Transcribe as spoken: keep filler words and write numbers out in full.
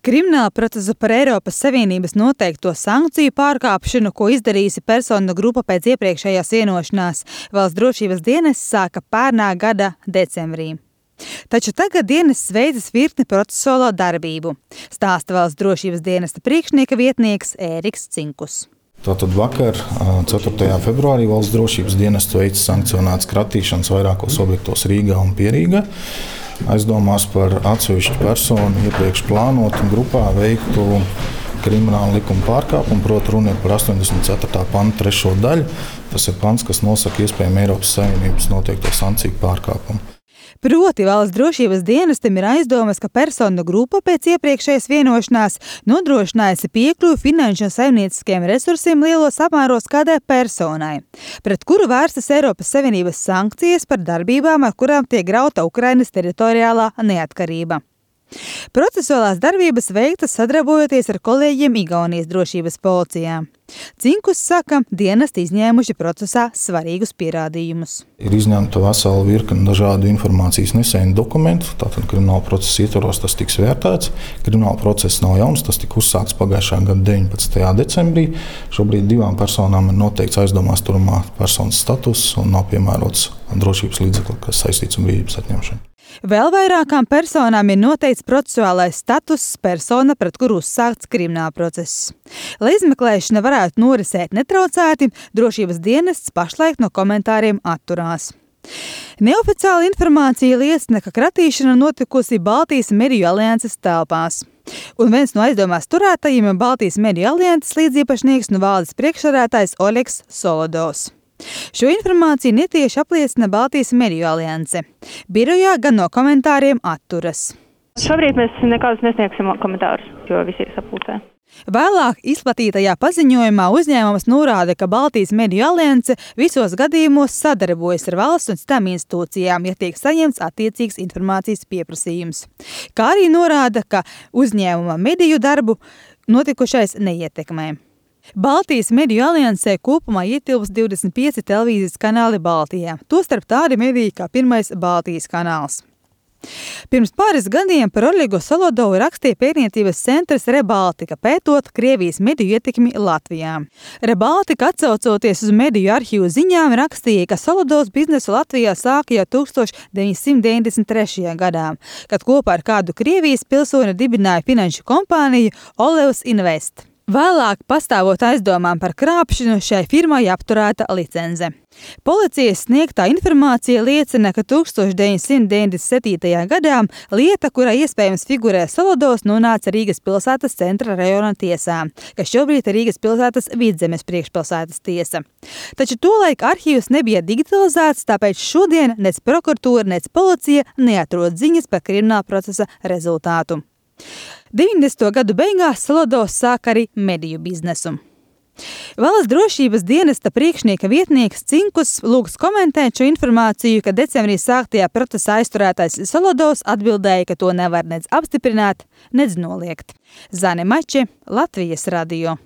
Krimināla procesu par Eiropas Savienības noteikto sankciju pārkāpšanu, ko izdarījusi personu grupa pēc iepriekšējās vienošanās, valsts drošības dienests sāka pērnā gada decembrī. Taču tagad dienests veidzas virkni procesuālo darbību, stāsta valsts drošības dienesta priekšnieka vietnieks Ēriks Cinkus. Tātad vakar, ceturtajā februārī, valsts drošības dienests veica sankcionētas kratīšanas vairākos objektos Rīgā un Pierīgā. Aizdomās par atsevišķu personu iepriekš plānotu grupā veiktu kriminālu likumu pārkāpumu, proti runa ir par astoņdesmit ceturtā panta trešo daļu. Tas ir pants, kas nosaka iespējamu Eiropas Savienības noteikto sankciju pārkāpumu. Proti valsts drošības dienestam ir aizdomas, ka personu grupa pēc iepriekšējas vienošanās nodrošinājusi piekļuvi finanšu un saimnieciskiem resursiem lielos apmēros kādai personai, pret kuru vērstas Eiropas Savienības sankcijas par darbībām, ar kurām tiek grauta Ukrainas teritoriālā neatkarība. Procesuālās darbības veiktas sadarbojoties ar kolēģiem Igaunijas drošības policijā. Cinkus saka, dienesti izņēmuši procesā svarīgus pierādījumus. Ir izņemta vesela virkne dažādu informācijas nesēju dokumentu, tātad krimināla procesa ietvaros tas tiks vērtēts. Krimināla process nav jauns, tas tika uzsākts pagājušā gada deviņpadsmitajā decembrī. Šobrīd divām personām ir noteikts aizdomās turamā personas status un nav piemērots drošības līdzekli, kas saistīts ar brīvības atņemšanu. Vēl vairākām personām ir noteikts procesuālais status persona, pret kuru uzsākts krimināla process. Lai izmeklēšana varētu norisēt netraucēti, drošības dienests pašlaik no komentāriem atturās. Neoficiāla informācija liecina, ka kratīšana notikusi Baltijas mediju alianses telpās. Un viens no aizdomās turētajiem ir Baltijas mediju alianses līdziepašnieks un valdes priekšsēdētājs Oļegs Solodovs. Šo informāciju netieši apliecina Baltijas mediju alianse. Birojā gan no komentāriem atturas. Šobrīd mēs nekādus nesniegsim komentārus, jo visi ir sapulcē. Vēlāk izplatītajā paziņojumā uzņēmums norāda, ka Baltijas mediju alianse visos gadījumos sadarbojas ar valsts un citām institūcijām, ja tiek saņemts attiecīgs informācijas pieprasījums. Kā arī norāda, ka uzņēmuma mediju darbu notikušais neietekmē. Baltijas mediju aliansē kopumā ietilpst divdesmit pieci televīzijas kanāli Baltijā, tostarp tādi mediji kā Pirmais Baltijas kanāls. Pirms pāris gadiem par Oļegu Solodovu rakstīja pētniecības centrs Rebaltika, pētot Krievijas mediju ietekmi Latvijā. Rebaltika, atsaucoties uz mediju arhīvu ziņām, rakstīja, ka Solodovs biznesu Latvijā sāka jau tūkstoš deviņsimt deviņdesmit trešajā gadā, kad kopā ar kādu Krievijas pilsoni dibināja finanšu kompāniju Olevs Invest. Vēlāk, pastāvot aizdomām par krāpšanu, šai firmai apturēta licence. Policijas sniegtā informācija liecina, ka tūkstoš deviņsimt deviņdesmit septītajā gadā lieta, kurā iespējams figurē Solodovs, nonāca Rīgas pilsētas centra rajona tiesā, kas šobrīd ir Rīgas pilsētas Vidzemes priekšpilsētas tiesa. Taču tolaik arhīvs nebija digitalizēts, tāpēc šodien nec prokuratūra, nec policija neatrod ziņas par krimināla procesa rezultātu. deviņdesmito gadu beigās Solodovs sāk arī mediju biznesu. Valsts drošības dienesta priekšnieka vietnieks Cinkus lūgs komentēt šo informāciju, ka decembrī sāktajā procesā aizturētais Solodovs atbildēja, ka to nevar nec apstiprināt, nec noliegt. Zane Mače, Latvijas radio.